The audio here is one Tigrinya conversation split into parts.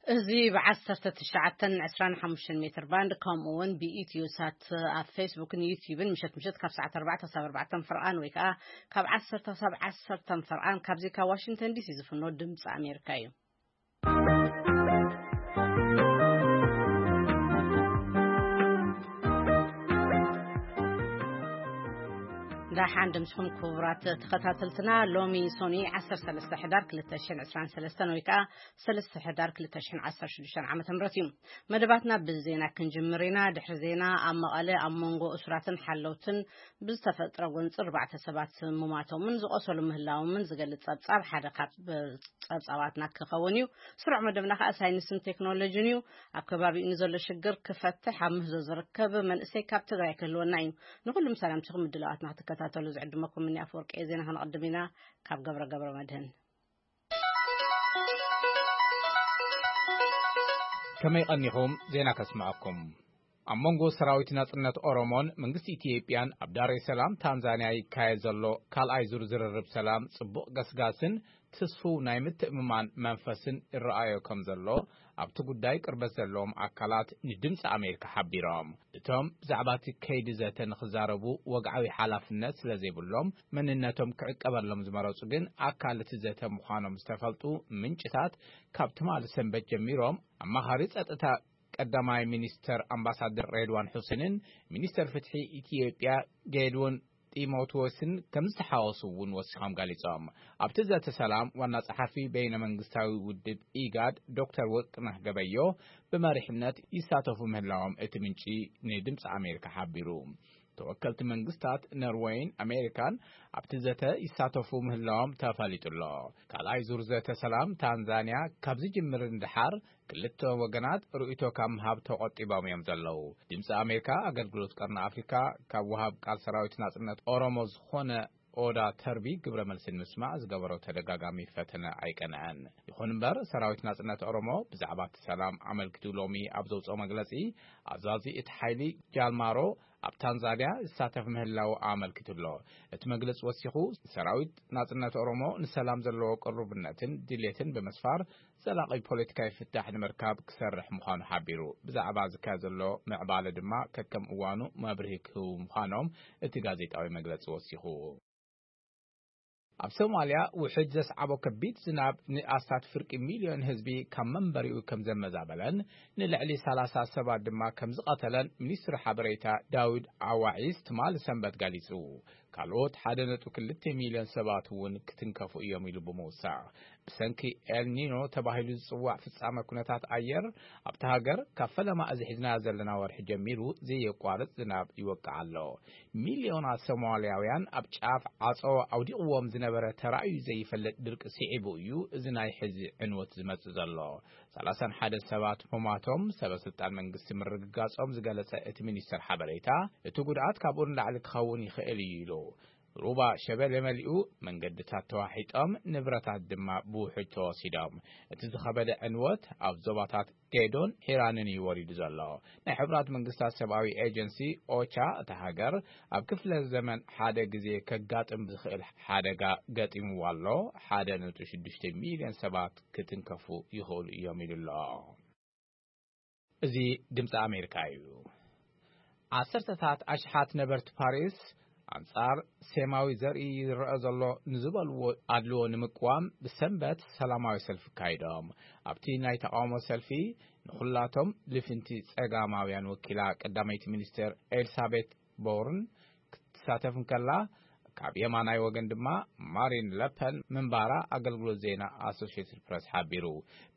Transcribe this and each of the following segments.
እዚ ብ19 ን25 ሜትር ባንድ፣ ከምኡ እውን ብኢትዮ ሳት ኣብ ፌስቡክን ዩቲዩብን ምሸት ምሸት ካብ ሰዓት 4 ክሳብ 4 ፍርቓን ወይ ከዓ ካብ 10 ክሳብ 10 ፍርቓን ካብዚ ካብ ዋሽንግተን ዲሲ ዝፍኖ ድምፂ ኣሜሪካ እዩ። ደሓን ድምፅኹም ክቡራት ተኸታተልትና። ሎሚ ሶኒ 13 ሕዳር 2023 ወይ ከዓ 3 ሕዳር 2016 ዓመተ ምህረት እዩ። መደባትና ብዜና ክንጅምር ኢና። ድሕሪ ዜና ኣብ መቐለ ኣብ መንጎ እሱራትን ሓለውትን ብዝተፈጥረ ጎንፂ ኣርባዕተ ሰባት ምማቶምን ዝቆሰሉ ምህላዎምን ዝገልፅ ፀብፃብ ሓደ ካብ ፀብፃባትና ክኸውን እዩ። ስሩዕ መደብና ከዓ ሳይንስን ቴክኖሎጂን እዩ። ኣብ ከባቢኡ ንዘሎ ሽግር ክፈትሕ ኣብ ምህዞ ዝርከብ መንእሰይ ካብ ትግራይ ክህልወና እዩ። ንኩሉ ምሳላምትኹም ምድላዋትና ክትከታተሉ ዝዕድመኩም እኒ ኣፈወርቂ ዜና። ክንቕድም ኢና ካብ ገብረ ገብረ መድህን። ከመይ ቀኒኹም? ዜና ከስምዐኩም። ኣብ መንጎ ሰራዊት ናጽነት ኦሮሞን መንግስቲ ኢትዮጵያን ኣብ ዳሬ ሰላም ታንዛንያ ይካየድ ዘሎ ካልኣይ ዙር ዝርርብ ሰላም ጽቡቕ ገስጋስን ትስፉው ናይ ምትእምማን መንፈስን ይረኣዮ ከም ዘሎ ኣብቲ ጉዳይ ቅርበት ዘለዎም ኣካላት ንድምፂ ኣሜሪካ ሓቢሮም። እቶም ብዛዕባ እቲ ከይዲ ዘተ ንክዛረቡ ወግዓዊ ሓላፍነት ስለ ዘይብሎም መንነቶም ክዕቀበሎም ዝመረፁ ግን ኣካል እቲ ዘተ ምዃኖም ዝተፈልጡ ምንጭታት ካብ ትማሊ ሰንበት ጀሚሮም ኣማኻሪ ጸጥታ ቀዳማይ ሚኒስተር ኣምባሳደር ሬድዋን ሑሴንን ሚኒስተር ፍትሒ ኢትዮጵያ ጌድዎን ጢሞቴዎስን ከም ዝተሓወሱ እውን ወሲኾም ገሊጾም። ኣብቲ ዘተ ሰላም ዋና ጸሓፊ በይነ መንግስታዊ ውድብ ኢጋድ ዶክተር ወርቅነህ ገበዮ ብመሪሕነት ይሳተፉ ምህላዎም እቲ ምንጪ ንድምፂ ኣሜሪካ ሓቢሩ። ተወከልቲ መንግስታት ኖርወይን ኣሜሪካን ኣብቲ ዘተ ይሳተፉ ምህላዎም ተፈሊጡ ኣሎ። ካልኣይ ዙር ዘተ ሰላም ታንዛንያ ካብ ዝጅምር ንድሓር ክልተ ወገናት ርእይቶ ካብ ምሃብ ተቖጢቦም እዮም ዘለዉ። ድምፂ ኣሜሪካ ኣገልግሎት ቀርኒ ኣፍሪካ ካብ ወሃብ ቃል ሰራዊት ናጽነት ኦሮሞ ዝኾነ ኦዳ ተርቢ ግብረ መልሲ ንምስማዕ ዝገበሮ ተደጋጋሚ ፈተነ ኣይቀንዐን። ይኹን እምበር ሰራዊት ናጽነት ኦሮሞ ብዛዕባ እቲ ሰላም ኣመልኪቱ ሎሚ ኣብ ዘውፅኦ መግለፂ ኣዛዚ እቲ ሓይሊ ጃልማሮ ኣብ ታንዛንያ ዝሳተፍ ምህላው ኣመልኪቱ ኣሎ። እቲ መግለፂ ወሲኹ ሰራዊት ናጽነት ኦሮሞ ንሰላም ዘለዎ ቅሩብነትን ድሌትን ብምስፋር ዘላቒ ፖለቲካዊ ፍታሕ ንምርካብ ክሰርሕ ምዃኑ ሓቢሩ። ብዛዕባ ዝካየድ ዘሎ ምዕባለ ድማ ከከም እዋኑ መብርሂ ክህቡ ምዃኖም እቲ ጋዜጣዊ መግለጺ ወሲኹ። ኣብ ሶማልያ ውሕጅ ዘስዓቦ ከቢድ ዝናብ ንኣስታት ፍርቂ ሚልዮን ህዝቢ ካብ መንበሪኡ ከም ዘመዛበለን ንልዕሊ 30 ሰባት ድማ ከም ዝቐተለን ሚኒስትሪ ሓበሬታ ዳውድ ኣዋዒስ ትማሊ ሰንበት ገሊጹ። ካልኦት ሓደ ነጥቢ ክልተ ሚልዮን ሰባት እውን ክትንከፉ እዮም ኢሉ ብምውሳኽ፣ ብሰንኪ ኤልኒኖ ተባሂሉ ዝጽዋዕ ፍጻመ ኩነታት ኣየር ኣብታ ሃገር ካብ ፈለማ እዚ ሒዝናዮ ዘለና ወርሒ ጀሚሩ ዘየቋርጽ ዝናብ ይወቅዕ ኣሎ። ሚልዮናት ሶማልያውያን ኣብ ጫፍ ዓጾ ኣውዲቕዎም ዝነበረ ተራእዩ ዘይፈልጥ ድርቂ ስዒቡ እዩ እዚ ናይ ሕዚ ዕንወት ዝመጽእ ዘሎ። 31 ሰባት ምሟቶም ሰበ ስልጣን መንግስቲ ምርግጋጾም ዝገለጸ እቲ ሚኒስተር ሓበሬታ፣ እቲ ጉድኣት ካብኡ ንላዕሊ ክኸውን ይኽእል እዩ ኢሉ። ሩባ ሸበሌ መሊኡ፣ መንገድታት ተዋሒጦም፣ ንብረታት ድማ ብውሕጅ ተወሲዶም። እቲ ዝኸበደ ዕንወት ኣብ ዞባታት ጌዶን ሒራንን እዩ ወሪዱ ዘሎ። ናይ ሕቡራት መንግስታት ሰብኣዊ ኤጀንሲ ኦቻ፣ እታ ሃገር ኣብ ክፍለ ዘመን ሓደ ግዜ ከጋጥም ዝኽእል ሓደጋ ገጢምዋ ኣሎ፣ 1.6 ሚልዮን ሰባት ክትንከፉ ይኽእሉ እዮም ኢሉ ኣሎ። እዚ ድምፂ ኣሜሪካ እዩ። ዓሰርተታት ኣሽሓት ነበርቲ ፓሪስ ኣንጻር ሴማዊ ዘርኢ ዝረአ ዘሎ ንዝበልዎ ኣድልዎ ንምቅዋም ብሰንበት ሰላማዊ ሰልፊ ኣካይዶም። ኣብቲ ናይ ተቃውሞ ሰልፊ ንኹላቶም ልፍንቲ ጸጋማውያን ወኪላ ቀዳመይቲ ሚኒስትር ኤልሳቤት ቦርን ክትሳተፍ እንከላ፣ ካብ የማናይ ወገን ድማ ማሪን ለፐን ምንባራ ኣገልግሎት ዜና ኣሶሽየትድ ፕረስ ሓቢሩ።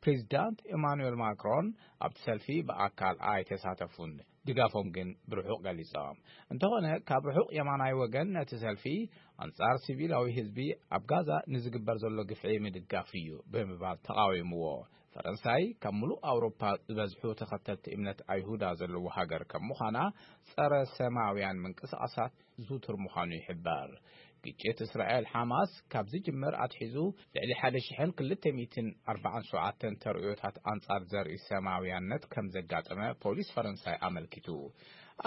ፕሬዚዳንት ኤማኑኤል ማክሮን ኣብቲ ሰልፊ ብኣካል ኣይተሳተፉን፣ ድጋፎም ግን ብርሑቕ ገሊጾም። እንተኾነ ካብ ርሑቕ የማናይ ወገን ነቲ ሰልፊ ኣንጻር ሲቪላዊ ህዝቢ ኣብ ጋዛ ንዝግበር ዘሎ ግፍዒ ምድጋፍ እዩ ብምባል ተቓዊምዎ። ፈረንሳይ ካብ ምሉእ ኣውሮፓ ዝበዝሑ ተኸተልቲ እምነት ኣይሁዳ ዘለዎ ሃገር ከም ምዃና ጸረ ሰማውያን ምንቅስቓሳት ዝውቱር ምዃኑ ይሕበር። ግጭት እስራኤል ሓማስ ካብ ዝጅምር ኣትሒዙ ልዕሊ ሓደ ሽሕን ክልተ ሚእትን ኣርባዓን ሸውዓተን ተርእዮታት ኣንጻር ዘርኢ ሰማውያነት ከም ዘጋጠመ ፖሊስ ፈረንሳይ ኣመልኪቱ።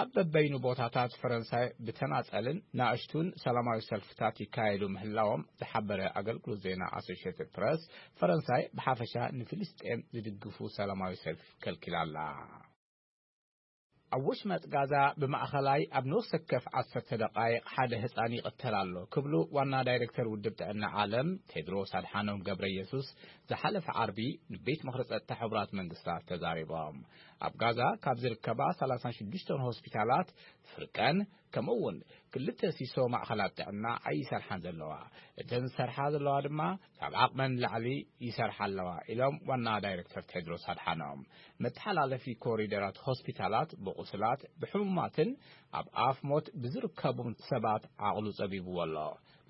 ኣብ በበይኑ ቦታታት ፈረንሳይ ብተናጸልን ናእሽቱን ሰላማዊ ሰልፍታት ይካየዱ ምህላዎም ዝሓበረ ኣገልግሎት ዜና ኣሶሽየትድ ፕረስ፣ ፈረንሳይ ብሓፈሻ ንፍልስጤም ዝድግፉ ሰላማዊ ሰልፊ ከልኪላ ኣላ። ኣብ ወሽመጥ ጋዛ ብማእኸላይ ኣብ ነፍሲ ወከፍ ዓሰርተ ደቓይቕ ሓደ ህጻን ይቕተል ኣሎ ክብሉ ዋና ዳይሬክተር ውድብ ጥዕና ዓለም ቴድሮስ ኣድሓኖም ገብረ ኢየሱስ ዝሓለፈ ዓርቢ ንቤት ምኽሪ ጸጥታ ሕቡራት መንግስታት ተዛሪቦም። ኣብ ጋዛ ካብ ዝርከባ ሰላሳን ሽዱሽተን ሆስፒታላት ፍርቀን ከምኡ እውን ክልተ ሲሶ ማእኸላት ጥዕና ኣይሰርሓን ዘለዋ፣ እተን ዝሰርሓ ዘለዋ ድማ ካብ ዓቕመን ንላዕሊ ይሰርሓ ኣለዋ ኢሎም ዋና ዳይሬክተር ቴድሮስ ኣድሓኖም። መተሓላለፊ ኮሪደራት ሆስፒታላት ብቑስላት፣ ብሕሙማትን ኣብ ኣፍ ሞት ብዝርከቡ ሰባት ዓቕሉ ጸቢብዎ ኣሎ።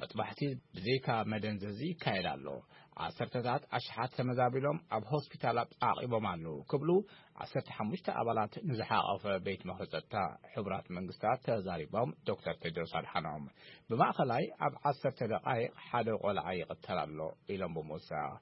መጥባሕቲ ብዘይካ መደንዘዚ ይካየድ ኣሎ። ዓሰርተታት ኣሽሓት ተመዛቢሎም ኣብ ሆስፒታላት ዓቒቦም ኣለዉ ክብሉ ዓሰርተ ሓሙሽተ ኣባላት ንዝሓቐፈ ቤት ምኽሪ ጸጥታ ሕቡራት መንግስታት ተዛሪቦም። ዶክተር ቴድሮስ ኣድሓኖም ብማእኸላይ ኣብ ዓሰርተ ደቓይቕ ሓደ ቆልዓ ይቕተል ኣሎ ኢሎም ብምውሳኽ፣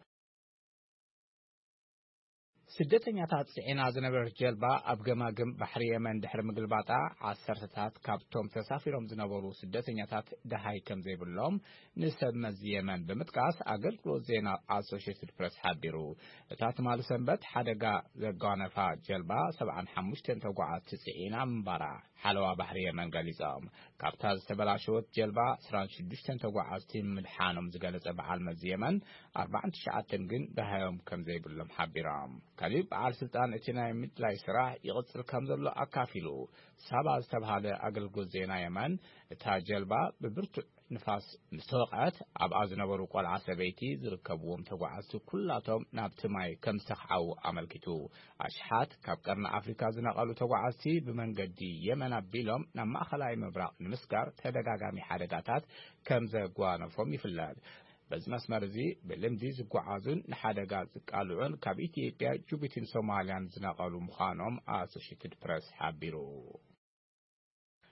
ስደተኛታት ጽዒና ዝነበረት ጀልባ ኣብ ገማግም ባሕሪ የመን ድሕሪ ምግልባጣ፣ ዓሰርተታት ካብቶም ተሳፊሮም ዝነበሩ ስደተኛታት ደሃይ ከም ዘይብሎም ንሰብ መዚ የመን ብምጥቃስ ኣገልግሎት ዜና ኣሶሽየትድ ፕረስ ሓቢሩ። እታ ትማሊ ሰንበት ሓደጋ ዘጓነፋ ጀልባ ሰብዓን ሓሙሽተን ተጓዓዝቲ ጽዒና ምንባራ ሓለዋ ባሕሪ የመን ገሊጾም። ካብታ ዝተበላሸወት ጀልባ ዕስራን ሽዱሽተን ተጓዓዝቲ ምድሓኖም ዝገለጸ በዓል መዚ የመን፣ ኣርባዓን ትሽዓተን ግን ደሃዮም ከም ዘይብሎም ሓቢሮም። ካሊእ በዓል ስልጣን እቲ ናይ ምድላይ ስራሕ ይቕጽል ከም ዘሎ ኣካፊሉ። ሳባ ዝተብሃለ ኣገልግሎት ዜና የመን፣ እታ ጀልባ ብብርቱዕ ንፋስ ምስ ተወቕዐት፣ ኣብኣ ዝነበሩ ቆልዓ ሰበይቲ ዝርከብዎም ተጓዓዝቲ ኩላቶም ናብቲ ማይ ከም ዝተኽዓዉ ኣመልኪቱ። ኣሽሓት ካብ ቀርኒ ኣፍሪካ ዝነቐሉ ተጓዓዝቲ ብመንገዲ የመን ኣቢሎም ናብ ማእኸላይ ምብራቕ ንምስጋር ተደጋጋሚ ሓደጋታት ከም ዘጓነፎም ይፍለጥ። በዚ መስመር እዚ ብልምዲ ዝጓዓዙን ንሓደጋ ዝቃልዑን ካብ ኢትዮጵያ፣ ጅቡቲን ሶማልያን ዝነቐሉ ምዃኖም ኣሶሽየትድ ፕረስ ሓቢሩ።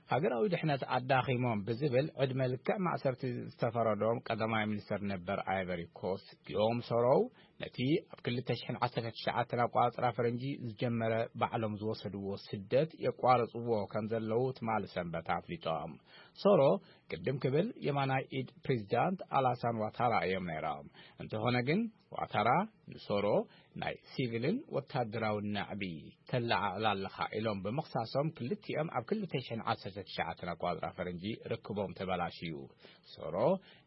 ሃገራዊ ድሕነት ኣዳኺሞም ብዝብል ዕድመ ልክዕ ማእሰርቲ ዝተፈረዶም ቀዳማይ ሚኒስተር ነበር ኣይቨሪ ኮስት ጊዮም ሶሮው፣ ነቲ ኣብ ክልተ ሽሕን ዓሰርተ ትሽዓተን ኣቆጻጽራ ፈረንጂ ዝጀመረ ባዕሎም ዝወሰድዎ ስደት የቋርጽዎ ከም ዘለዉ ትማሊ ሰንበት ኣፍሊጦም። ሶሮ ቅድም ክብል የማናይ ኢድ ፕሬዚዳንት ኣላሳን ዋታራ እዮም ነይሮም። እንተኾነ ግን ዋታራ ንሶሮ ናይ ሲቪልን ወታደራውን ናዕቢ ተለዓዕል ኣለኻ ኢሎም ብምኽሳሶም፣ ክልቲኦም ኣብ ክልተ ሽሕን ዓሰርተ ትሽዓተን ኣቋጽራ ፈረንጂ ርክቦም ተበላሽዩ። ሶሮ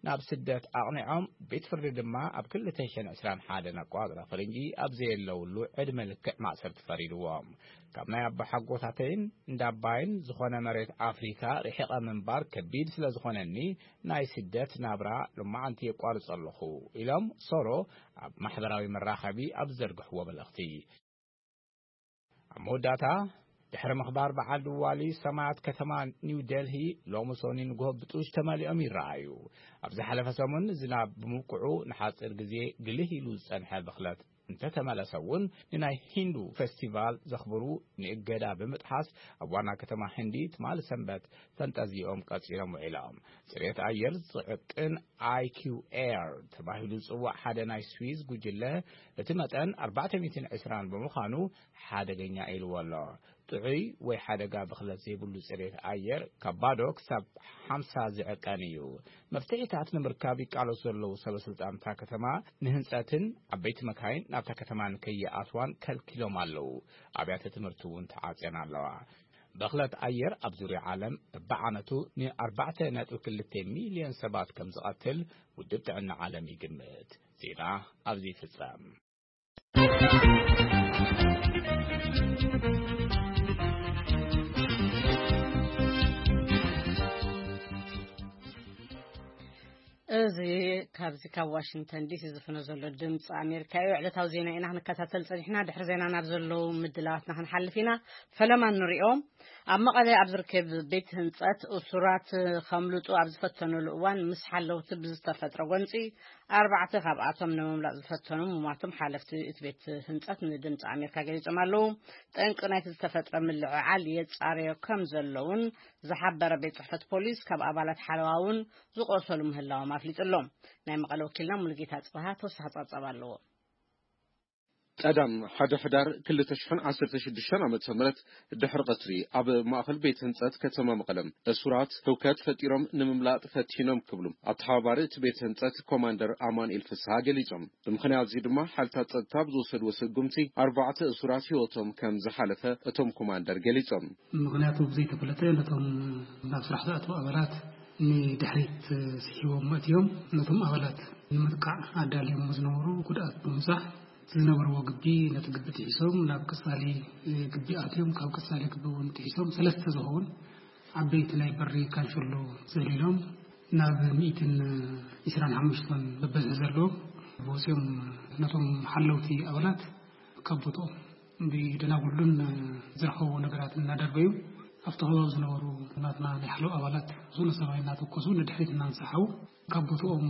ናብ ስደት ኣቕኒዖም፣ ቤት ፍርዲ ድማ ኣብ ክልተ ሽሕን ዕስራን ሓደን ኣቋጽራ ፈረንጂ ኣብ ዘየለውሉ ዕድመ ልክዕ ማእሰርቲ ፈሪድዎም። ካብ ናይ ኣቦሓጎታተይን እንዳባይን ዝኾነ መሬት ኣፍሪካ ርሒቐ ምንባር ከቢድ ስለ ዝኾነኒ፣ ናይ ስደት ናብራ ሎማዓንቲ የቋርጾ ኣለኹ ኢሎም ሶሮ ኣብ ማሕበራዊ መራኸቢ ኣብ ዝዘርግሕዎ መልእኽቲ። ኣብ መወዳእታ፣ ድሕሪ ምኽባር በዓል ድዋሊ፣ ሰማያት ከተማ ኒው ደልሂ ሎሚ ሶኒ ንግሆ ብጡሽ ተመሊኦም ይረኣዩ። ኣብ ዝሓለፈ ሰሙን ዝናብ ብምብቅዑ ንሓጺር ግዜ ግልህ ኢሉ ዝጸንሐ ብኽለት እንተተመለሰ እውን፣ ንናይ ሂንዱ ፌስቲቫል ዘኽብሩ ንእገዳ ብምጥሓስ ኣብ ዋና ከተማ ህንዲ ትማሊ ሰንበት ፈንጠዝይኦም ቀጺሎም ውዒሎም። ጽሬት ኣየር ዝዕቅን ኣይ ኪው ኤር ተባሂሉ ዝጽዋዕ ሓደ ናይ ስዊዝ ጉጅለ፣ እቲ መጠን ኣርባዕተ ሚእትን ዕስራን ብምዃኑ ሓደገኛ ኢልዎ ኣሎ። ጥዑይ ወይ ሓደጋ ብኽለት ዘይብሉ ጽሬት ኣየር ካብ ባዶ ክሳብ ሓምሳ ዝዕቀን እዩ። መፍትሒታት ንምርካብ ይቃለሱ ዘለዉ ሰበ ስልጣን እታ ከተማ፣ ንህንጸትን ዓበይቲ መካይን ናብታ ከተማ ንከይኣትዋን ከልኪሎም ኣለዉ። ኣብያተ ትምህርቲ እውን ተዓጽየን ኣለዋ። ብኽለት ኣየር ኣብ ዙርያ ዓለም በብዓመቱ ንኣርባዕተ ነጥቢ ክልተ ሚልዮን ሰባት ከም ዝቐትል ውድብ ጥዕና ዓለም ይግምት። ዜና ኣብዚ ይፍጸም። እዚ ካብዚ ካብ ዋሽንግተን ዲሲ ዝፍኖ ዘሎ ድምፂ ኣሜሪካ እዩ። ዕለታዊ ዜና ኢና ክንከታተል ፀኒሕና። ድሕሪ ዜና ናብ ዘለዉ ምድላዋትና ክንሓልፍ ኢና። ፈለማ ንሪኦ። ኣብ መቐለ ኣብ ዝርከብ ቤት ህንፀት እሱራት ከምልጡ ኣብ ዝፈተኑሉ እዋን ምስ ሓለውቲ ብዝተፈጥረ ጎንፂ ኣርባዕተ ካብኣቶም ንምምላጥ ዝፈተኑ ምሟቶም ሓለፍቲ እቲ ቤት ህንጸት ንድምፂ ኣሜሪካ ገሊጾም ኣለዉ። ጠንቂ ናይቲ ዝተፈጥረ ምልዕዓል የጻረዮ ከም ዘለውን ዝሓበረ ቤት ጽሕፈት ፖሊስ፣ ካብ ኣባላት ሓለዋ እውን ዝቆሰሉ ምህላዎም ኣፍሊጡ ኣሎ። ናይ መቐለ ወኪልና ሙሉጌታ ጽበሃ ተወሳኺ ጸብጻብ ኣለዎ። ቀዳም ሓደ ሕዳር ክልተ ሽሕን ዓሰርተ ሽዱሽተን ዓመተ ምህረት ድሕሪ ቀትሪ ኣብ ማእኸል ቤት ህንጸት ከተማ መቐለም እሱራት ህውከት ፈጢሮም ንምምላጥ ፈቲኖም ክብሉ ኣተሓባባሪ እቲ ቤት ህንጸት ኮማንደር ኣማኑኤል ፍስሃ ገሊጾም። ብምኽንያት እዚ ድማ ሓይልታት ጸጥታ ብዝወሰድዎ ስጉምቲ ኣርባዕተ እሱራት ህይወቶም ከም ዝሓለፈ እቶም ኮማንደር ገሊጾም። ምኽንያቱ ብዘይተፈለጠ ነቶም ናብ ስራሕ ዝኣተዉ ኣባላት ንድሕሪት ስሒቦም መእትዮም ነቶም ኣባላት ንምጥቃዕ ኣዳልዮም ዝነበሩ ጉድኣት ብምብጻሕ ዝነበርዎ ግቢ ነቲ ግቢ ጥሒሶም ናብ ቀጻሊ ግቢ ኣትዮም ካብ ቀጻሊ ግቢ እውን ጥሒሶም ሰለስተ ዝኸውን ዓበይቲ ናይ በሪ ካንሸሎ ዘሊሎም ናብ ሚእትን ዕስራን ሓሙሽተን በበዝሒ ዘለዎም ወፂኦም ነቶም ሓለውቲ ኣባላት ካብ ቦትኦም ብደናጉሉን ዝረኸብዎ ነገራት እናደርበዩ ኣብቲ ከባቢ ዝነበሩ ናትና ናይ ሓለዋ ኣባላት ዝኾነ ሰማይ እናተኮሱ ንድሕሪት እናንሳሓቡ ካብ ቦትኦም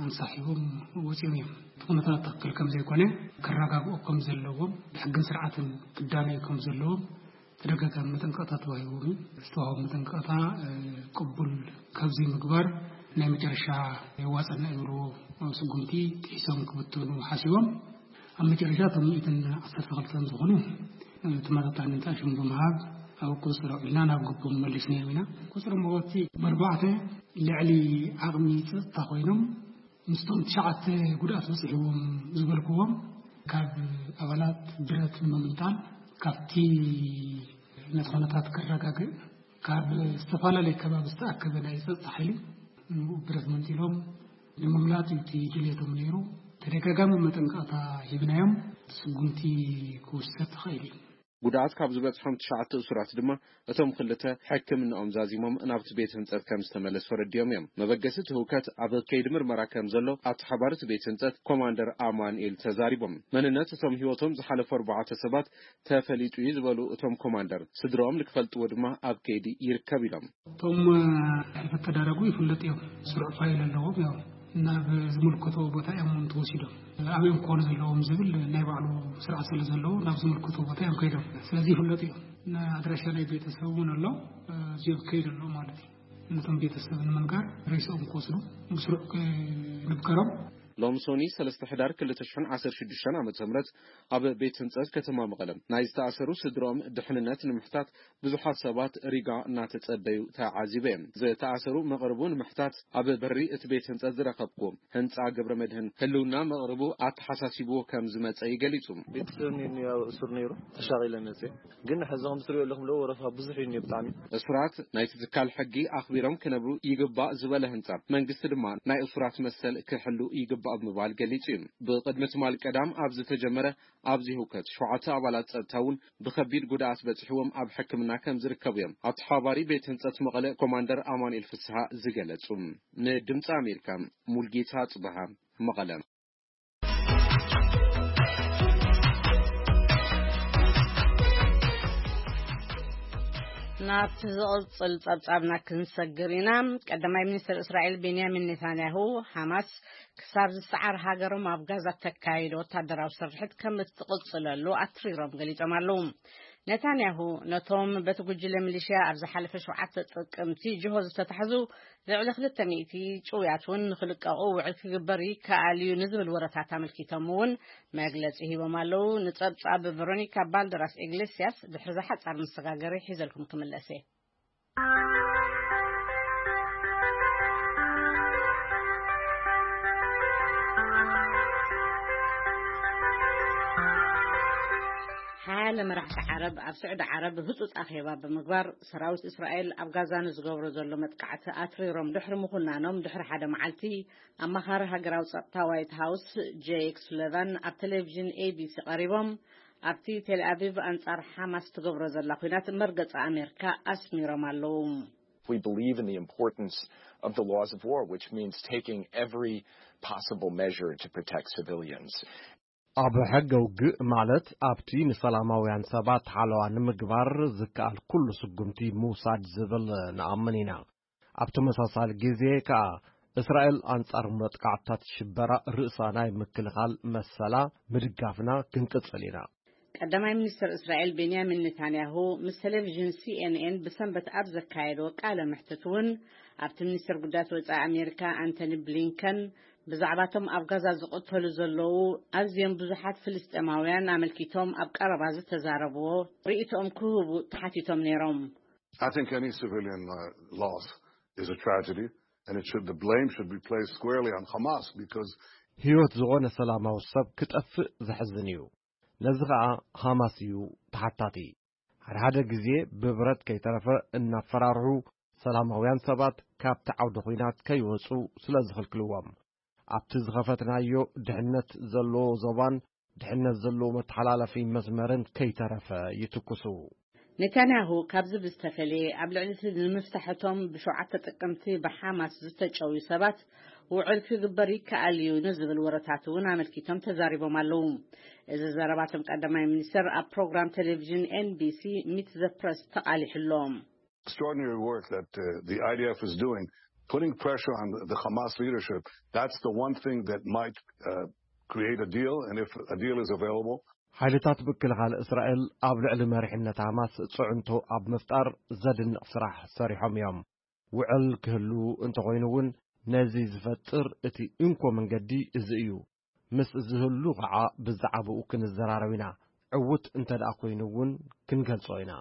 ኣንሳሒቦም ወፂኦም እዮም። እቲ ኩነታት ትኽክል ከም ዘይኮነ ክረጋግኦ ከም ዘለዎም ብሕግን ስርዓትን ክዳነዩ ከም ዘለዎም ተደጋጋሚ መጠንቀቕታ ተዋሂቦም እዩ። ዝተዋህቦ መጠንቀቕታ ቅቡል ካብ ዘይምግባር ናይ መጨረሻ የዋፀና ይብልዎ ስጉምቲ ጥሒሶም ክብትኑ ሓሲቦም ኣብ መጨረሻ እቶም ሚእትን ዓሰርተ ክልተን ዝኾኑ ተመጣጣኒ እንተኣሽም ብምሃብ ኣብ ቁፅፅር ኣውዒልና ናብ ግቦም መሊስናዮም ኢና። ቁፅሪ መወቲ ብኣርባዕተ ልዕሊ ዓቕሚ ፀጥታ ኮይኖም ምስቶም ትሽዓተ ጉድኣት በፂሕዎም ዝበልክዎም ካብ ኣባላት ብረት ንምምንጣል ካብቲ ነቲ ኩነታት ከረጋግእ ካብ ዝተፈላለየ ከባቢ ዝተኣከበ ናይ ፀጥታ ሓይሊ ንኡ ብረት መንጢሎም ንምምላጥ እዩ እቲ ድልየቶም ነይሩ። ተደጋጋሚ መጠንቀቕታ ሂብናዮም ስጉምቲ ክውሰድ ተኻኢሉ እዩ። ጉድኣት ካብ ዝበፅሖም ትሽዓተ እሱራት ድማ እቶም ክልተ ሕክምንኦም ዛዚሞም ናብቲ ቤት ህንፀት ከም ዝተመለሱ ኣረዲኦም እዮም። መበገሲ እቲ ህውከት ኣብ ከይዲ ምርመራ ከም ዘሎ ኣተሓባሪ እቲ ቤት ህንፀት ኮማንደር ኣማኑኤል ተዛሪቦም። መንነት እቶም ህይወቶም ዝሓለፉ ኣርባዕተ ሰባት ተፈሊጡ እዩ ዝበሉ እቶም ኮማንደር፣ ስድርኦም ንክፈልጥዎ ድማ ኣብ ከይዲ ይርከብ ኢሎም። እቶም ሕልፈት ተዳረጉ ይፍለጡ እዮም። ስሩዕ ፋይል ኣለዎም። ያው ናብ ዝምልከቶ ቦታ እዮም እውን ተወሲዶም። ኣበይ እዮም ክኾኑ ዘለዎም ዝብል ናይ ባዕሉ ስርዓት ስለ ዘለዎ ናብ ዝምልከቶ ቦታ እዮም ከይዶም። ስለዚ ይፍለጡ እዮም። ኣድራሻ ናይ ቤተሰብ እውን ኣሎ። እዚኦም ከይድ ኣሎ ማለት እዩ። ነቶም ቤተሰብ ንምንጋር ሬስኦም ክወስዱ ብስሩዕ ክንብገሮም። ሎሚ ሶኒ ሰለስተ ሕዳር ክልተ ሽሕን ዓሰርተ ሽዱሽተን ዓመተ ምህረት ኣብ ቤት ህንጸት ከተማ መቐለ ናይ ዝተኣሰሩ ስድርኦም ድሕንነት ንምሕታት ብዙሓት ሰባት ሪጋ እናተጸበዩ ተዓዚበ እየ። ዝተኣሰሩ መቕርቡ ንምሕታት ኣብ በሪ እቲ ቤት ህንጸት ዝረኸብኩ ህንጻ ገብረ መድህን ህልውና መቕርቡ ኣተሓሳሲብዎ ከም ዝመጸ እዩ ገሊጹ። ቤተሰብ እኒኦ ኣብ እሱር ነይሩ ተሻቒለ መጽየ። ግን ሕዚ ከም ትሪኦ ኣለኹም ዶ ወረፋ ብዙሕ እዩ እኒኦ ብጣዕሚ። እሱራት ናይቲ ትካል ሕጊ ኣኽቢሮም ክነብሩ ይግባእ ዝበለ ህንጻ መንግስቲ ድማ ናይ እሱራት መሰል ክሕሉ ይግባእ ብምባል ገሊጹ እዩ። ብቕድሚ ትማል ቀዳም ኣብ ዝተጀመረ ኣብዚ ህውከት ሸውዓተ ኣባላት ጸጥታ እውን ብኸቢድ ጉድኣት በጺሕዎም ኣብ ሕክምና ከም ዝርከቡ እዮም ኣተሓባባሪ ቤት ህንጸት መቐለ ኮማንደር ኣማኑኤል ፍስሃ ዝገለጹ። ንድምፂ ኣሜሪካ ሙልጌታ ጽበሃ መቐለ። ናብቲ ዝቕጽል ጸብጻብና ክንሰግር ኢና። ቀዳማይ ሚኒስትር እስራኤል ቤንያሚን ኔታንያሁ፣ ሓማስ ክሳብ ዝሰዓር ሃገሮም ኣብ ጋዛ ተካይዶ ወታደራዊ ስርሒት ከም እትቕጽለሉ ኣትሪሮም ገሊጾም ኣለዉ። ኔታንያሁ ነቶም በቲ ጉጅለ ሚሊሽያ ኣብ ዝሓለፈ ሸውዓተ ጥቅምቲ ጅሆ ዝተታሕዙ ልዕሊ ክልተ ሚእቲ ጭውያት እውን ንኽልቀቑ ውዕል ክግበር ይከኣል እዩ ንዝብል ወረታት ኣመልኪቶም እውን መግለጺ ሂቦም ኣለዉ። ንጸብጻብ ቨሮኒካ ባልደራስ ኢግሌስያስ ድሕሪ ዝሓጻር መሰጋገሪ ሒዘልኩም ክምለስ እየ። ሓያለ መራሕቲ ዓረብ ኣብ ስዑዲ ዓረብ ህጹጽ ኣኼባ ብምግባር ሰራዊት እስራኤል ኣብ ጋዛ ንዝገብሮ ዘሎ መጥቃዕቲ ኣትሪሮም ድሕሪ ምኹናኖም ድሕሪ ሓደ መዓልቲ ኣማኻሪ ሃገራዊ ጸጥታ ዋይት ሃውስ ጄክ ሱለቫን ኣብ ቴሌቪዥን ኤቢሲ ቀሪቦም ኣብቲ ቴልኣቪቭ ኣንጻር ሓማስ ትገብሮ ዘላ ኲናት መርገጺ ኣሜሪካ ኣስሚሮም ኣለዉ። We believe in the importance of the laws of war, which means taking every possible measure to protect civilians. ኣብ ሕገ ውግእ ማለት ኣብቲ ንሰላማውያን ሰባት ሓለዋ ንምግባር ዝከኣል ኩሉ ስጉምቲ ምውሳድ ዝብል ንኣምን ኢና። ኣብ ተመሳሳሊ ግዜ ከኣ እስራኤል ኣንጻር መጥቃዕትታት ሽበራ ርእሳ ናይ ምክልኻል መሰላ ምድጋፍና ክንቅጽል ኢና። ቀዳማይ ሚኒስትር እስራኤል ቤንያሚን ኔታንያሁ ምስ ቴሌቪዥን ሲ ኤን ኤን ብሰንበት ኣብ ዘካየድዎ ቃለ መሕትት እውን፣ ኣብቲ ሚኒስትር ጉዳያት ወጻኢ ኣሜሪካ ኣንቶኒ ብሊንከን ብዛዕባቶም ኣብ ጋዛ ዝቕተሉ ዘለዉ ኣዝዮም ብዙሓት ፍልስጤማውያን ኣመልኪቶም ኣብ ቀረባ ዝተዛረብዎ ርእይቶኦም ክህቡ ተሓቲቶም ነይሮም። I think any civilian uh, loss is a tragedy, and it should the blame should be placed squarely on Hamas because ህይወት ዝኾነ ሰላማዊ ሰብ ክጠፍእ ዘሕዝን እዩ። ነዚ ኸኣ ሃማስ እዩ ተሓታቲ። ሓደ ሓደ ግዜ ብብረት ከይተረፈ እናፈራርሑ ሰላማውያን ሰባት ካብቲ ዓውደ ኹናት ከይወጹ ስለ ዝኽልክልዎም፣ ኣብቲ ዝኸፈትናዮ ድሕነት ዘለዎ ዞባን ድሕነት ዘለዎ መተሓላለፊ መስመርን ከይተረፈ ይትኩሱ። ኔታንያሁ ካብዚ ብዝተፈለየ፣ ኣብ ልዕሊ እቲ ንምፍታሕ እቶም ብሸውዓተ ጥቅምቲ ብሓማስ ዝተጨውዩ ሰባት ውዕል ክግበር ይከኣል እዩ ንዝብል ወረታት እውን ኣመልኪቶም ተዛሪቦም ኣለዉ። እዚ ዘረባቶም ቀዳማይ ሚኒስትር ኣብ ፕሮግራም ቴሌቪዥን ኤን ቢ ሲ ሚት ዘ ፕረስ ተቓሊሑ ኣሎ። Extraordinary work that uh, the I D F is doing, putting pressure on the, the Hamas leadership. That's the one thing that might uh, create a deal, and if a deal is available, ሓይልታት ምክልኻል እስራኤል ኣብ ልዕሊ መሪሕነት ሃማስ ጽዕንቶ ኣብ ምፍጣር ዘድንቕ ስራሕ ሰሪሖም እዮም። ውዕል ክህሉ እንተኾይኑ እውን፣ ነዚ ዝፈጥር እቲ እንኮ መንገዲ እዚ እዩ። ምስ ዝህሉ ኸዓ ብዛዕባኡ ክንዘራረብ ኢና። ዕዉት እንተ ደኣ ኮይኑ እውን ክንገልጾ ኢና።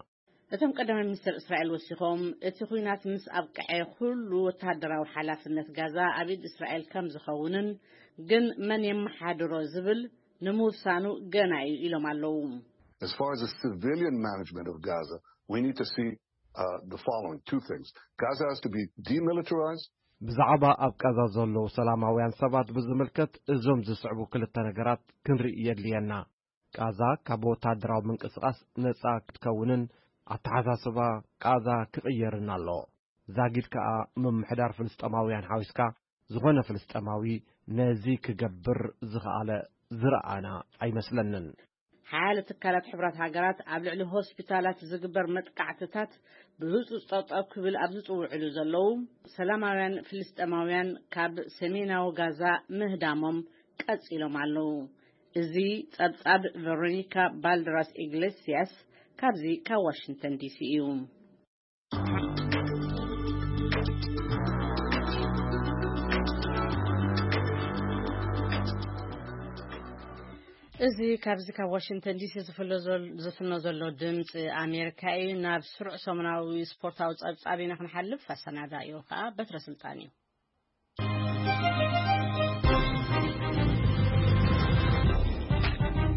እቶም ቀዳማይ ሚኒስትር እስራኤል ወሲኾም፣ እቲ ኲናት ምስ ኣብቅዐ ኩሉ ወተሃደራዊ ሓላፍነት ጋዛ ኣብ ኢድ እስራኤል ከም ዝኸውንን፣ ግን መን የመሓድሮ ዝብል ንምውሳኑ ገና እዩ ኢሎም ኣለዉ። As far as the civilian management of Gaza, we need to see uh, the following two things. Gaza has to be demilitarized. ብዛዕባ ኣብ ቃዛ ዘለዉ ሰላማውያን ሰባት ብዝምልከት እዞም ዝስዕቡ ክልተ ነገራት ክንርኢ የድልየና። ቃዛ ካብ ወታደራዊ ምንቅስቓስ ነጻ ክትከውንን ኣተሓሳስባ ቃዛ ክቕየርን ኣሎ። ዛጊድ ከኣ ምምሕዳር ፍልስጠማውያን ሓዊስካ ዝኾነ ፍልስጠማዊ ነዚ ክገብር ዝኸኣለ ዝረኣና ኣይመስለንን። ሓያለ ትካላት ሕቡራት ሃገራት ኣብ ልዕሊ ሆስፒታላት ዝግበር መጥቃዕትታት ብህጹጽ ጠጠው ክብል ኣብ ዝጽውዕሉ ዘለዉ፣ ሰላማውያን ፍልስጠማውያን ካብ ሰሜናዊ ጋዛ ምህዳሞም ቀጺሎም ኣለዉ። እዚ ጸብጻብ ቨሮኒካ ባልደራስ ኢግሌሲያስ ካብዚ ካብ ዋሽንግተን ዲሲ እዩ። እዚ ካብዚ ካብ ዋሽንግተን ዲሲ ዝፍሎ ዘል-፣ ዝፍኖ ዘሎ ድምፂ ኣሜሪካ እዩ። ናብ ስሩዕ ሰሙናዊ ስፖርታዊ ጸብጻብ ኢና ክንሓልፍ። ኣሰናዳኢኡ ከዓ በትረ ስልጣን እዩ።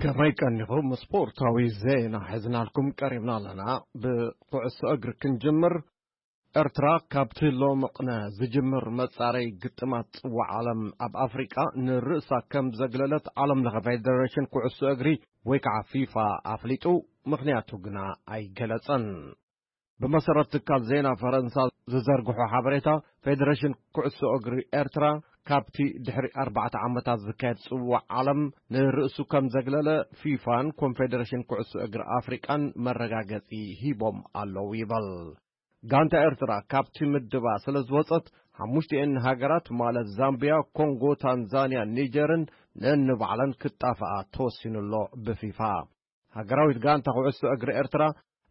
ከመይ ቀኒኹም? ስፖርታዊ ዜና ሒዝናልኩም ቀሪብና ኣለና። ብኩዕሶ እግሪ ክንጅምር። ኤርትራ ካብቲ ሎምቕነ ዝጅምር መጻረይ ግጥማት ጽዋዕ ዓለም ኣብ ኣፍሪቃ ንርእሳ ከም ዘግለለት ዓለም ለኸ ፌደሬሽን ኩዕሶ እግሪ ወይ ከዓ ፊፋ ኣፍሊጡ፣ ምኽንያቱ ግና ኣይገለጸን። ብመሰረት ትካል ዜና ፈረንሳ ዝዘርግሖ ሓበሬታ፣ ፌደሬሽን ኩዕሶ እግሪ ኤርትራ ካብቲ ድሕሪ ኣርባዕተ ዓመታት ዝካየድ ጽዋዕ ዓለም ንርእሱ ከም ዘግለለ ፊፋን ኮንፌደሬሽን ኩዕሶ እግሪ ኣፍሪቃን መረጋገጺ ሂቦም ኣለዉ ይበል። ጋንታ ኤርትራ ካብቲ ምድባ ስለ ዝወጸት፣ ሓሙሽቲኤን ሃገራት ማለት ዛምቢያ፣ ኮንጎ፣ ታንዛንያ፣ ኒጀርን ነንባዕለን ክጣፍኣ ተወሲኑ ኣሎ ብፊፋ። ሃገራዊት ጋንታ ኩዕሶ እግሪ ኤርትራ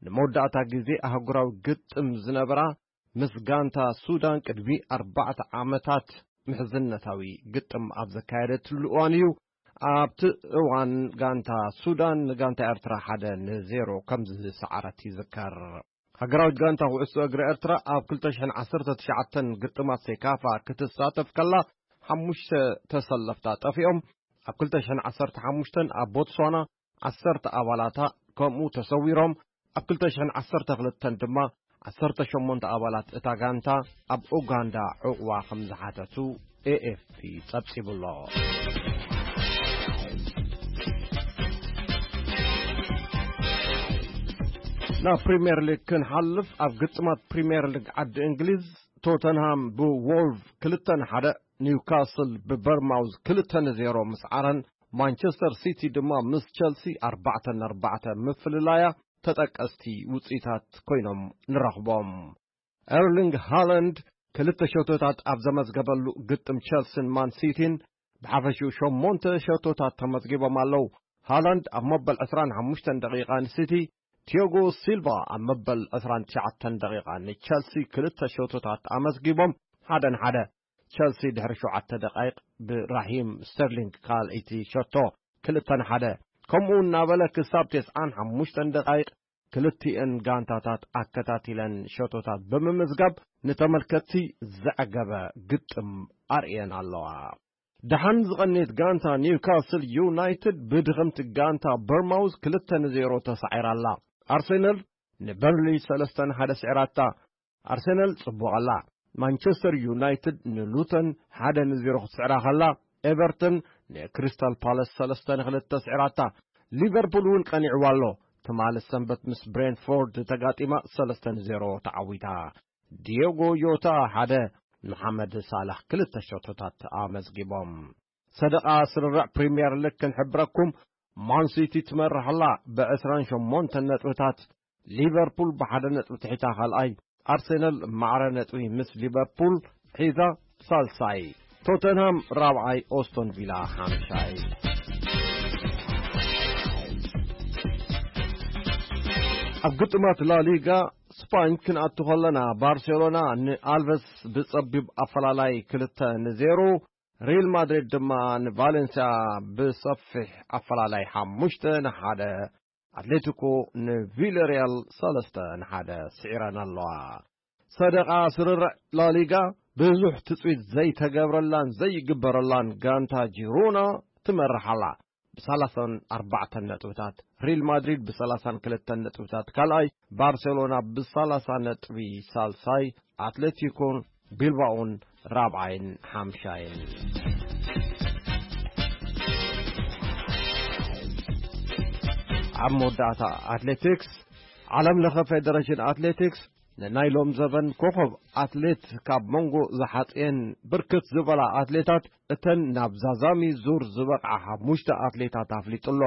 ንመወዳእታ ግዜ ኣህጉራዊ ግጥም ዝነበራ ምስ ጋንታ ሱዳን ቅድሚ ኣርባዕተ ዓመታት ምሕዝነታዊ ግጥም ኣብ ዘካየደትሉ እዋን እዩ። ኣብቲ እዋን ጋንታ ሱዳን ንጋንታ ኤርትራ ሓደ ንዜሮ ከም ዝሰዓረት ይዝከር። ሃገራዊት ጋንታ ኩዕሶ እግሪ ኤርትራ ኣብ ክልተ ሽሕን ዓሰርተ ትሽዓተን ግጥማት ሴካፋ ክትሳተፍ ከላ፣ ሓሙሽተ ተሰለፍታ ጠፊኦም። ኣብ ክልተ ሽሕን ዓሰርተ ሓሙሽተን ኣብ ቦትስዋና ዓሰርተ ኣባላታ ከምኡ ተሰዊሮም። ኣብ ክልተ ሽሕን ዓሰርተ ክልተን ድማ ዓሰርተ ሸሞንተ ኣባላት እታ ጋንታ ኣብ ኡጋንዳ ዕቑባ ከም ዝሓተቱ ኤ ኤፍ ፒ ጸብጺቡ ኣሎ። ናብ ፕሪምየር ሊግ ክንሓልፍ፣ ኣብ ግጥማት ፕሪምየር ሊግ ዓዲ እንግሊዝ፣ ቶተንሃም ብዎልቭ ክልተ ንሓደ፣ ኒውካስል ብበርማውዝ ክልተ ንዜሮ ምስዓረን፣ ማንቸስተር ሲቲ ድማ ምስ ቸልሲ ኣርባዕተ ንኣርባዕተ ምፍልላያ ተጠቀስቲ ውጽኢታት ኮይኖም ንረኽቦም። ኤርሊንግ ሃላንድ ክልተ ሸቶታት ኣብ ዘመዝገበሉ ግጥም ቸልሲን ማን ሲቲን ብሓፈሽኡ ሸሞንተ ሸቶታት ተመዝጊቦም ኣለዉ። ሃላንድ ኣብ መበል ዕስራን ሓሙሽተን ደቂቓ ንሲቲ፣ ቲያጎ ሲልቫ ኣብ መበል ዕስራን ትሽዓተን ደቂቓ ንቸልሲ ክልተ ሸቶታት ኣመዝጊቦም፣ ሓደ ንሓደ። ቸልሲ ድሕሪ ሸውዓተ ደቃይቕ ብራሂም ስተርሊንግ ካልኣይቲ ሸቶ፣ ክልተ ንሓደ። ከምኡ እናበለ ክሳብ ተስዓን ሓሙሽተን ደቃይቕ ክልቲኤን ጋንታታት ኣከታቲለን ሸቶታት ብምምዝጋብ ንተመልከትቲ ዘዕገበ ግጥም ኣርእየን ኣለዋ። ደሓን ዝቐንየት ጋንታ ኒውካስል ዩናይትድ ብድኽምቲ ጋንታ በርማውዝ ክልተ ንዜሮ ተሳዒራ ኣላ። ኣርሴናል ንበርንሊ ሰለስተ ንሓደ ስዒራታ። ኣርሴናል ጽቡቕ ኣላ። ማንቸስተር ዩናይትድ ንሉተን ሓደ ንዜሮ ክትስዕራ ከላ፣ ኤቨርተን ንክሪስታል ፓለስ ሰለስተ ንክልተ ስዒራታ። ሊቨርፑል እውን ቀኒዕዋ ኣሎ። ትማሊ ሰንበት ምስ ብሬንፎርድ ተጋጢማ ሰለስተ ንዜሮ ተዓዊታ። ዲዮጎ ዮታ ሓደ፣ መሓመድ ሳላሕ ክልተ ሸቶታት ኣመዝጊቦም። ሰደቓ ስርርዕ ፕሪምየር ሊግ ክንሕብረኩም፣ ማንሲቲ ትመርሕ ኣላ ብዕስራን ሸሞንተን ነጥብታት። ሊቨርፑል ብሓደ ነጥቢ ትሒታ ካልኣይ። ኣርሴናል ማዕረ ነጥቢ ምስ ሊቨርፑል ሒዛ ሳልሳይ። ቶተንሃም ራብዓይ፣ ኦስቶን ቪላ ሓምሻይ። ኣብ ግጥማት ላሊጋ ስፓኝ ክንኣቱ ከለና፣ ባርሴሎና ንኣልቨስ ብጸቢብ ኣፈላላይ ክልተ ንዜሮ፣ ሪል ማድሪድ ድማ ንቫሌንሲያ ብሰፊሕ ኣፈላላይ ሓሙሽተ ንሓደ፣ ኣትሌቲኮ ንቪለሪያል ሰለስተ ንሓደ ስዒረን ኣለዋ። ሰደቓ ስርርዕ ላሊጋ ብዙሕ ትጽቢት ዘይተገብረላን ዘይግበረላን ጋንታ ጂሮና ትመርሕ ኣላ ብሰላሳን ኣርባዕተን ነጥብታት። ሪል ማድሪድ ብሰላሳን ክልተን ነጥብታት ካልኣይ፣ ባርሴሎና ብሰላሳ ነጥቢ ሳልሳይ፣ ኣትሌቲኮን ቢልባኦን ራብዓይን ሓምሻይን። ኣብ መወዳእታ ኣትሌቲክስ፣ ዓለም ለኸ ፌደሬሽን ኣትሌቲክስ ንናይ ሎም ዘበን ኮኸብ ኣትሌት ካብ መንጎ ዝሓጽየን ብርክት ዝበላ ኣትሌታት፣ እተን ናብ ዛዛሚ ዙር ዝበቕዓ ሓሙሽተ ኣትሌታት ኣፍሊጡ ኣሎ።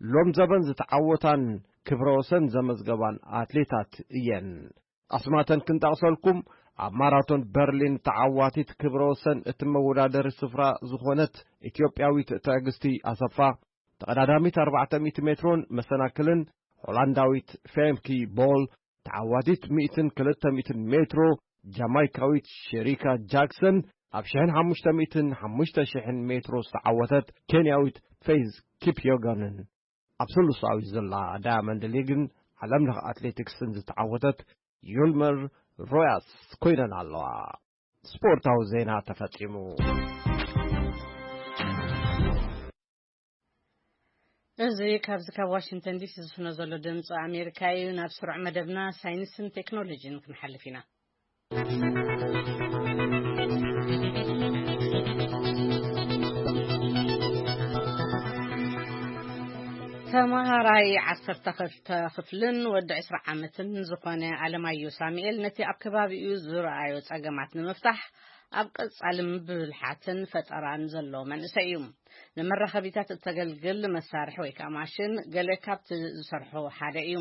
ሎም ዘበን ዝተዓወታን ክብረ ወሰን ዘመዝገባን ኣትሌታት እየን። ኣስማተን ክንጠቕሰልኩም፣ ኣብ ማራቶን በርሊን ተዓዋቲት ክብረ ወሰን እቲ መወዳደሪ ስፍራ ዝኾነት ኢትዮጵያዊት ትዕግስቲ ኣሰፋ፣ ተቐዳዳሚት ኣርባዕተ ሚእቲ ሜትሮን መሰናክልን ሆላንዳዊት ፌምኪ ቦል፣ ተዓዋቲት ሚእትን ክልተ ሚእትን ሜትሮ ጃማይካዊት ሸሪካ ጃክሰን፣ ኣብ ሽሕን ሓሙሽተ ሚእትን ሓሙሽተ ሽሕን ሜትሮ ዝተዓወተት ኬንያዊት ፌዝ ኪፕዮጋንን፣ ኣብ ስሉሳዊ ዝላ ዳያመንድ ሊግን ዓለም ለኸ ኣትሌቲክስን ዝተዓወተት ዩልመር ሮያስ ኮይነን ኣለዋ። ስፖርታዊ ዜና ተፈጺሙ። እዚ ካብዚ ካብ ዋሽንግተን ዲሲ ዝፍኖ ዘሎ ድምፂ ኣሜሪካ እዩ። ናብ ስሩዕ መደብና ሳይንስን ቴክኖሎጂን ክንሓልፍ ኢና። ተመሃራይ ዓሰርተ ክልተ ክፍልን ወዲ ዕስራ ዓመትን ዝኾነ ኣለማዮ ሳሙኤል፣ ነቲ ኣብ ከባቢኡ ዝረኣዮ ጸገማት ንምፍታሕ ኣብ ቀጻሊ ብብልሓትን ፈጠራን ዘሎ መንእሰይ እዩ። ንመራኸቢታት እተገልግል መሳርሒ ወይ ከዓ ማሽን ገለ ካብቲ ዝሰርሖ ሓደ እዩ።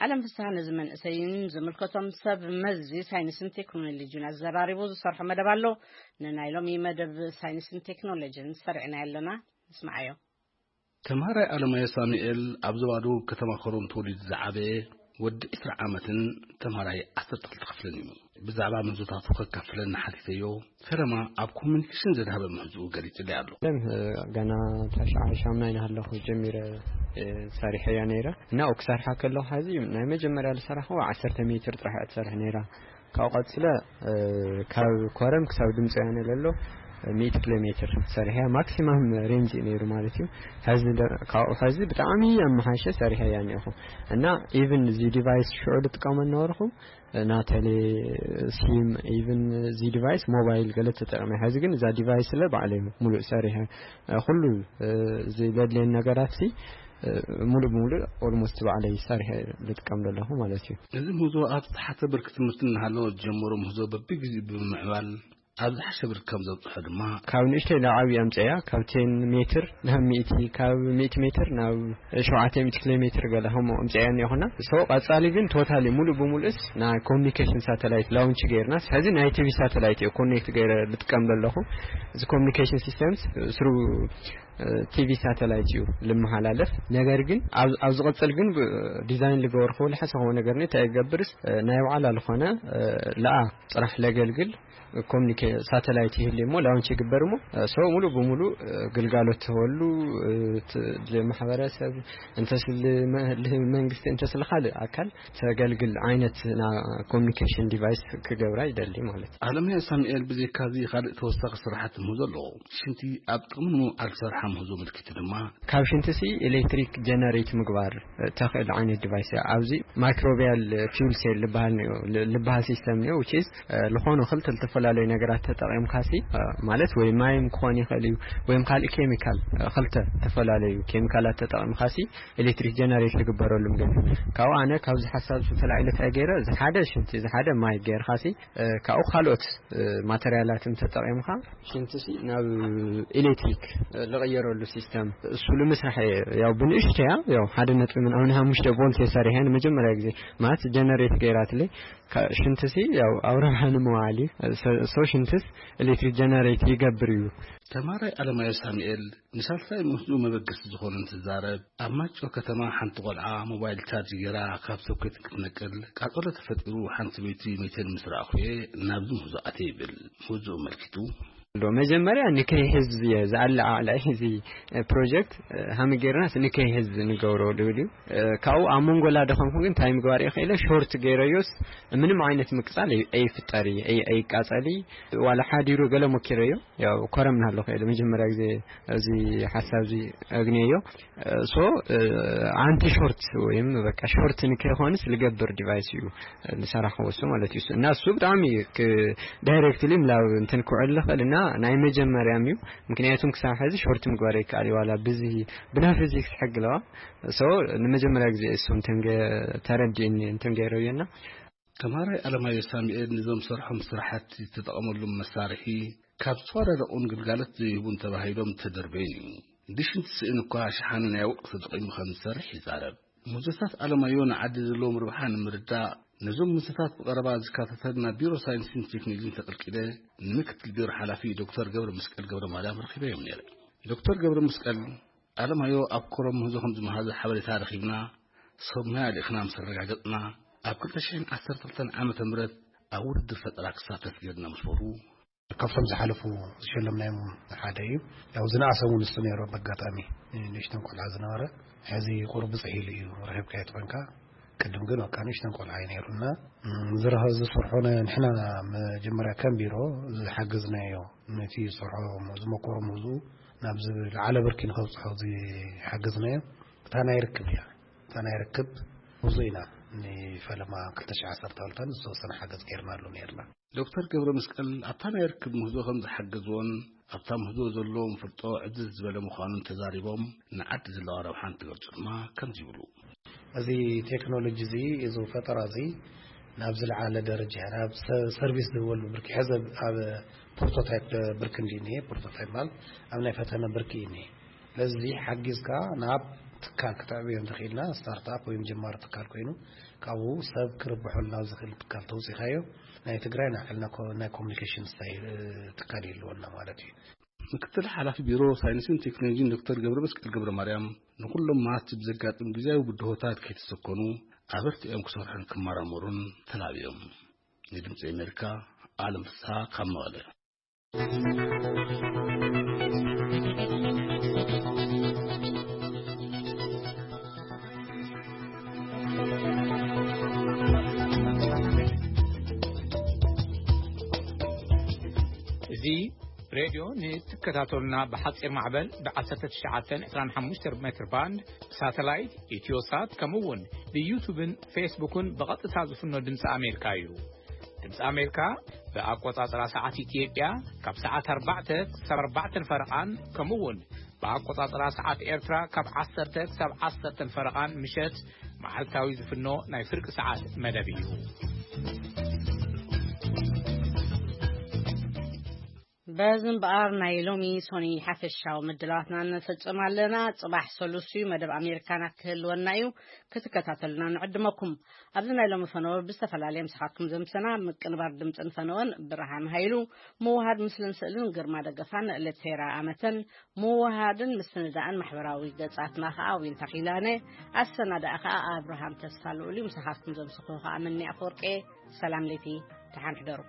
ኣለም ፍስሃ ነዚ መንእሰይን ዝምልከቶም ሰብ መዚ ሳይንስን ቴክኖሎጂን ኣዘራሪቡ ዝሰርሖ መደብ ኣሎ። ንናይ ሎሚ መደብ ሳይንስን ቴክኖሎጂን ሰሪዕና ኣለና። ንስምዓዮ። ተምሃራይ ኣለማዮ ሳሙኤል ኣብ ዞባ ደቡብ ከተማ ኮረም ተወሊዱ ዝዓበየ ወዲ ዕስራ ዓመትን ተምሃራይ ዓሰርተ ክልተ ክፍልን እዩ። ብዛዕባ ምህዞታቱ ከካፍለና ሓቲተዮ። ፈለማ ኣብ ኮሙኒኬሽን ዘድሃበ ምህዞኡ ገሊጹለይ ኣሎ። ለም፣ እ፣ ገና ታሽዓይ ሻምናይ እናሃለኹ ጀሚረ፣ እ፣ ሰሪሐያ ነይረ። እና ክሰርሓ ከለኹ፣ ሐዚ ናይ መጀመርያ ዝሰራሕኹ ዓሰርተ ሜትር ጥራሕ እያ ትሰርሕ ነይራ። ካብኡ ቀጽለ፣ እ፣ ካብ ኮረም ክሳብ ድምፂ ወያነ ለሎ ሚእቲ ኪሎ ሜትር ሰሪሐያ። ማክሲማም ሬንጅ እዩ ነይሩ ማለት እዩ። ሐዚ ደ-፣ ካብኡ ሐዚ ብጣዕሚ ኣመሓይሸ ሰሪሐያ እኒአኹ። እና ኢቭን እዚ ዲቫይስ ሽዑ ዝጥቀሞ ነበርኹ፣ ናተሌ ሲም፣ ኢቭን እዚ ዲቫይስ ሞባይል ገለ ተጠቅመ። ሐዚ ግን እዛ ዲቫይስ ለ ባዕለይ ሙሉእ ሰሪሐ፣ ኩሉ፣ እ፣ እዚ ዘድልየን ነገራት ሲ፣ እ፣ ሙሉእ ብሙሉእ ኦልሞስት ባዕለይ ሰሪሐ ልጥቀም ዘለኹ ማለት እዩ። እዚ ምህዞ ኣብ ዝተሓተ ብርኪ ትምህርቲ እናሃለወ ዝጀመሮ ምህዞ በብግዜኡ ብምምዕባል ኣብ ዝሓሸ ብርኪ ከም ዘብጽሖ ድማ ካብ ንእሽተይ ናብ ዓብዪ ኣምጽያ፣ ካብ ቴን ሜትር ናብ ሚእቲ፣ ካብ ሚእቲ ሜትር ናብ ሸውዓተ ሚእቲ ኪሎ ሜትር ገለ ከምኡ ኣምጽያ እኒኹና። ሶ ቀጻሊ ግን ቶታሊ ሙሉእ ብሙሉእስ ናይ ኮሚኒኬሽን ሳተላይት ላውንች ገይርና፣ ሕዚ ናይ ቲቪ ሳተላይት እዩ ኮኔክት ገይረ ዝጥቀም ዘለኹ። እዚ ኮሚኒኬሽን ሲስተምስ ስሩ ቲቪ ሳተላይት እዩ ልመሓላለፍ። ነገር ግን ኣብ ኣብ ዝቕጽል ግን ብ- ዲዛይን ልገበርኩ ልሓሰኸዎ ነገር ኒ እንታይ ይገብርስ፣ ናይ ባዕላ ዝኾነ ለኣ ጽራሕ ለገልግል ኮሚኒኬ ሳተላይት ይህል እሞ ላውንች ይግበር እሞ፣ ሶ ሙሉ ብሙሉ ግልጋሎት ትህበሉ፣ ት- ልማሕበረሰብ እንተስ ልመ- ልመንግስቲ እንተስ ልካልእ ኣካል ተገልግል ዓይነት ና ኮሚኒኬሽን ዲቫይስ ክገብራ ይደሊ ማለት እዩ። ኣለምያ ሳሙኤል ብዘይካዚ ካልእ ተወሳኺ ስራሓት ምህዞ ኣለዎ። ሽንቲ ኣብ ጥቕሚ ንምውዓል ዝሰርሓ ምህዞ ምልክቲ ድማ ካብ ሽንቲ ሲ ኤሌክትሪክ ጀነሬት ምግባር ተኽእል ዓይነት ዲቫይስ እያ። ኣብዚ ማይክሮቢያል ፊውል ሴል ልበሃል ነዮ- ል- ልበሃል ሲስተም ነዮ፣ which is ዝኾኑ ክልተ ዝተፈላለዩ ነገራት ተጠቒምካ ሲ ማለት ወይ ማይም ክኾን ይኽእል እዩ ወይም ካልእ ኬሚካል፣ ክልተ ዝተፈላለዩ ኬሚካላት ተጠቒምካ ሲ ኤሌክትሪክ ጀነሬት ዝግበረሉ ምግብ እዩ። ካብኡ ኣነ ካብዚ ሓሳብ ዝተላዒለ እንታይ ገይረ፣ እዚ ሓደ ሽንቲ፣ እዚ ሓደ ማይ ገይርካ ሲ ካብኡ ካልኦት ማተርያላትን ተጠቒምካ ሽንቲ ሲ ናብ ኤሌክትሪክ ልቐየረሉ ሲስተም እሱ ንምስራሕ እየ። ያው ብንእሽተያ ያው ሓደ ነጥቢ ምናምን ሓሙሽተ ቮልት የሰሪሐ ንመጀመርያ ግዜ ማለት ጀነሬት ገይራትለይ። ሽንትሲ ያው ኣብ ረብሓ ንምውዓል እዩ። ሶ ሽንትስ ኤሌክትሪክ ጀነሬት ይገብር እዩ። ተማራይ ኣለማዮ ሳሙኤል ንሳልሳይ ምህዝኡ መበገሲ ዝኾነ እንትዛረብ፣ ኣብ ማይጨው ከተማ ሓንቲ ቆልዓ ሞባይል ቻርጅ ገይራ ካብ ሶኬት ክትነቅል ቃጸሎ ተፈጢሩ ሓንቲ ሰበይቲ መይተን ምስ ረኣኹ እየ ናብዚ ምህዞ ኣትየ ይብል። ምህዞኡ ኣመልኪቱ። ዶ መጀመርያ ንከይሕዝ እየ ዝኣለዓዕላ እዚ ፕሮጀክት ሃሚ ጌርናስ ንከይሕዝ ንገብሮ ልብል እዩ። ካብኡ ኣብ መንጎላ ደኸምኩ ግን እንታይ ምግባር እየ ክኢለ ሾርት ገይረዮስ ምንም ዓይነት ምቅጻል ኣይ- ኣይፍጠር እዩ፣ ኣይ- ኣይቃጸል እዩ። ዋላ ሓዲሩ ገለ ሞኪረዮ ያው ኮረምና ኣለኹ ኢለ መጀመርያ ግዜ እዚ ሓሳብ እዚ ኣግንየዮ። ሶ ኣንቲ ሾርት ወይም በቃ ሾርት ንከይኮንስ ልገብር ዲቫይስ እዩ ዝሰራሕዎ እሱ ማለት እዩ። እና እሱ ብጣዕሚ ዳይሬክትሊ ምላብ እንትን ክውዕል ልኽእል እና ናይ መጀመርያም እዩ። ምክንያቱም ክሳብ ሕዚ ሾርት ምግባር ይከኣል እዩ ዋላ ብዚ ብናይ ፊዚክስ ሕጊ ኣለዋ። ሶ ንመጀመርያ ግዜ እሱ እንትን ገ- ተረዲእኒ እንትን ገይረዮ እና ተምሃራይ ኣለማዮ ሳሙኤል ንዞም ሰርሖም ስራሕቲ ዝተጠቐመሉም መሳርሒ ካብ ዝተዋዳደቑን ግልጋሎት ዘይህቡን ተባሂሎም ተደርበዩን እዩ። ንሽንቲ ስእን እኳ ሸሓነ ናይ ወርቂ ተጠቒሙ ከም ዝሰርሕ ይዛረብ። ምህዞታት ኣለማዮ ንዓዲ ዘለዎም ርብሓ ንምርዳእ ነዞም ምህዞታት ብቐረባ ዝከታተል ናብ ቢሮ ሳይንስን ቴክኖሎጂን ተቐልቂለ ንምክትል ቢሮ ሓላፊ ዶክተር ገብረ መስቀል ገብረ ማርያም ረኺበዮም ነይረ። ዶክተር ገብረ መስቀል ኣለማዮ ኣብ ኮረም ምህዞ ከም ዝመሃዘ ሓበሬታ ረኺብና፣ ሰብ ሞያ ልኢኽና ምስ ኣረጋገጽና፣ ኣብ ክልተ ሽሕን ዓሰርተ ክልተን ዓመተ ምህረት ኣብ ውድድር ፈጠራ ክሳተፍ ገይርና ምስ በሉ፣ ካብቶም ዝሓለፉ ዝሸለምናዮም ሓደ እዩ። ያው ዝነኣሰ እውን ንሱ ነይሩ፣ በኣጋጣሚ ንእሽተን ቆልዓ ዝነበረ፣ ሕዚ ቁሩብ ብፅሕ ኢሉ እዩ ረኺብካዮ ትኾንካ። ቅድም ግን በቃ ንእሽተን ቆልዓ እዩ ነይሩ እና፣ እም፣ ዝረኸ-፣ ዝሰርሖ ነ-፣ ንሕና መጀመርያ ከም ቢሮ ዝሓገዝናዮ፣ ነቲ ዝሰርሖ ዝመኮሮ ምህዝኡ ናብ ዝለዓለ ብርኪ ንኸብፅሖ ዝሓገዝናዮ እታ ናይ ርክብ እያ። እታ ናይ ርክብ ምህዝኡ ኢና ንፈለማ ክልተ ሽሕ ዓሰርተ ክልተን ዝተወሰነ ሓገዝ ገይርናሉ ነይርና። ዶክተር ገብረ መስቀል ኣብታ ናይ ርክብ ምህዞ ከም ዝሓገዝዎን ኣብታ ምህዞ ዘለዎም ፍልጦ ዕዝዝ ዝበለ ምዃኑን ተዛሪቦም፣ ንዓዲ ዘለዋ ረብሓ እንትገልጹ ድማ ከምዚ ይብሉ። እዚ ቴክኖሎጂ እዚ፣ እዚ ፈጠራ እዚ ናብ ዝለዓለ ደረጃ፣ ናብ ሰ-፣ ሰርቪስ ዝህበሉ ብርኪ፣ ሕዚ ኣብ ፕሮቶታይፕ ብርኪ እንዲ እኒሄ፣ ፕሮቶታይፕ ማለት ኣብ ናይ ፈተነ ብርኪ እዩ እኒሄ። ስለዚ ሓጊዝካ ናብ ትካል ክትዕብዮ እንተኽኢልና፣ ስታርትኣፕ ወይም ጀማሪ ትካል ኮይኑ፣ ካብኡ ሰብ ክርብሐሉ ናብ ዝኽእል ትካል ተውፂኻዮ፣ ናይ ትግራይ ናይ ባዕልና ኮ-፣ ናይ ኮሚኒኬሽን ስታይ-፣ ትካል ይህልወና ማለት እዩ። ምክትል ሓላፊ ቢሮ ሳይንስን ቴክኖሎጂን ዶክተር ገብረ መስቀል ገብረ ማርያም፣ ንኹሎም መሃዝቲ ብዘጋጥም ግዜያዊ ብድሆታት ከይተሰከኑ ኣበርቲዖም ክሰርሑን ክመራመሩን ተላብዮም። ንድምፂ ኣሜሪካ፣ ኣለም ፍስሃ ካብ መቐለ። እዚ ሬድዮ ንትከታተሉና ብሓፂር ማዕበል ብ ዓሰርተ ትሽዓተ ዕስራን ሓሙሽተን ሜትር ባንድ ብሳተላይት፣ ኢትዮሳት፣ ከምኡ እውን ብዩቱብን ፌስቡክን ብቐጥታ ዝፍኖ ድምፂ ኣሜሪካ እዩ። ድምፂ ኣሜሪካ ብኣቆፃፅራ ሰዓት ኢትዮጵያ ካብ ሰዓት ኣርባዕተ ክሳብ ኣርባዕተን ፈረቓን፣ ከምኡ እውን ብኣቆፃፅራ ሰዓት ኤርትራ ካብ ዓሰርተ ክሳብ ዓሰርተን ፈረቓን ምሸት መዓልታዊ ዝፍኖ ናይ ፍርቂ ሰዓት መደብ እዩ። በዚ እምበኣር ናይ ሎሚ ሶኒ ሓፈሻዊ ምድላዋትና ንፍጽም ኣለና። ጽባሕ ሰሉስ እዩ፣ መደብ ኣሜሪካና ክህልወና እዩ። ክትከታተሉና ንዕድመኩም። ኣብዚ ናይ ሎሚ ፈነወ ብዝተፈላለየ ምሳኻትኩም ዘምሰና ምቅንባር ድምፅን ፈነወን ብርሃን ሃይሉ፣ ምውሃድ ምስልን ስእልን ግርማ ደገፋን ለቴራ ኣመተን፣ ምውሃድን ምስንዳእን ማሕበራዊ ገጻትና ኸዓ ዊንታ ኺላነ፣ ኣሰናዳኢ ኸዓ ኣብርሃም ተስፋ ልኡል እዩ። ምሳኻትኩም ዘምስኹ ኸዓ ምኒ ኣፈወርቄ። ሰላም ለይቲ፣ ደሓን ሕደሩ።